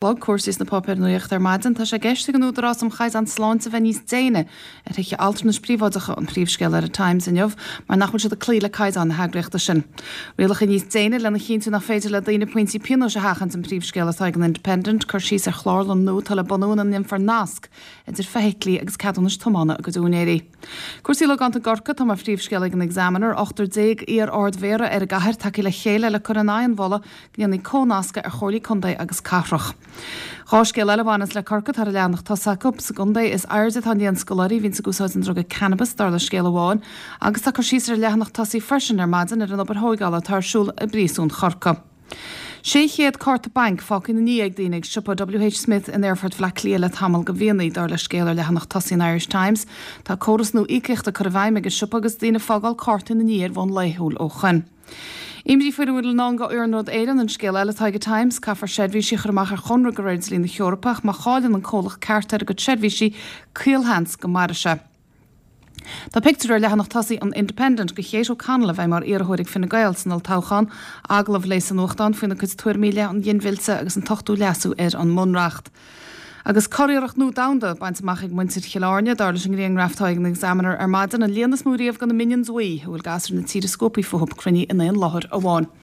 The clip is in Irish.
Chlog, cúrsaí sna páipéir nuachta ar maidin. Tá sé i gceist ag an Údarás um Chaighdeán Sláinte bheith níos déine ar thithe altranais príobháideacha, an príomhscéal ar an Times inniu, mar nach bhfuil siad ag cloí le caighdeáin na heagraíochta sin. Rialacha níos déine lena chinntiú nach féidir le daoine pointí pionóis a sheachaint an príomhscéal atá ag an Independent, cur síos ar chlárlann nua atá le bunú ina ndéanfar nasc idir feithiclí agus ceadúnais tiomána a gcuid úinéirí. Cúrsaí logánta i gCorcaigh atá mar phríomhscéal ag an Examiner, 18 iar-Ard-Mhéara ar an gcathair tagtha le chéile le cur in aghaidh an mholadh go ndéanfaí comhnascadh ar chomhairlí contae agus cathrach. 2 scéal eile a bhaineas le Corcaigh atá ar an leathanach tosaigh acu. Sa gcontae is airde atá an líon scoláirí a bhíonns ag úsáid an druga cannabis, dar le scéal amháin, agus tá cur síos ar an leathanach tosaigh freisin ar maidin ar an obair thóigeála atá ar siúl i bpríosún Chorcaí. 600 cárta bainc fágtha ina ndiaidh ag daoine ag siopa WH Smith in Aerfort Bhaile Átha Cliath le tamall de mhíonna, dar le scéal ar leathanach tosaigh an Irish Times. Tá córas nua íocaíochta curtha i bhfeidhm ag an siopa agus daoine ag fágáil cártaí ina ndiaidh ar bhonn laethúil ó shoin. Imní faoina bhfuil i ndán do Iarnród Éireann an scéal eile atá ag an Times. Caithfear seirbhísí a chur amach ar chonradh de réir dlí na hEorpa ach má chailleann an comhlacht cearta ar a gcuid seirbhísí, caolsheans go mairfidh sé. Tá pictiúr ar leathanach tosaigh an Independent de Kate O'Connell a bheidh mar iarrthóir ag Fine Gael san olltoghchán. Agallamh léi sa nuachtán faoina cuid tuairimí i leith an ghinmhillte agus an t-ochtú leasú ar an mBunreacht. Agus curiarracht nua domhanda bainte amach ag muintir Chill Airne, dar leis an ngrianghraf atá ag an Examiner ar maidin, an líon is mó riamh de na Minions Bhuí, a bhfuil gasúir na tíre scuabtha fúthu, cruinnithe in aon láthair amháin.